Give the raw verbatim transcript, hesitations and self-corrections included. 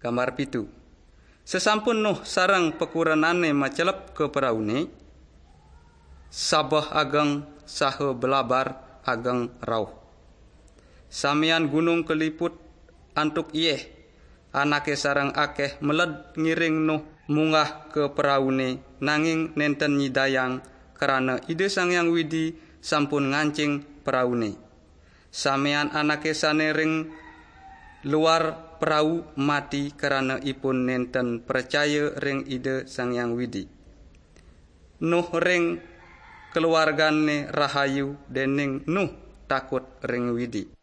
Gambar pitu. Sesampun Nuh sareng pakurenane macelep ka praune, sabeh ageng saha blabar ageng rauh. Samian gunung kaliput antuk ieh, anake sareng akeh meled ngiring Nuh munggah ka praune, nanging nenten nyidayang, krana Ida Sang Hyang Widi sampun ngancing praune. Samian anake sane ring luar prau mati, krana ipun nenten pracaya ring Ida Sang Hyang Widi. Nuh ring keluargane rahayu, dening Nuh takut ring Widi.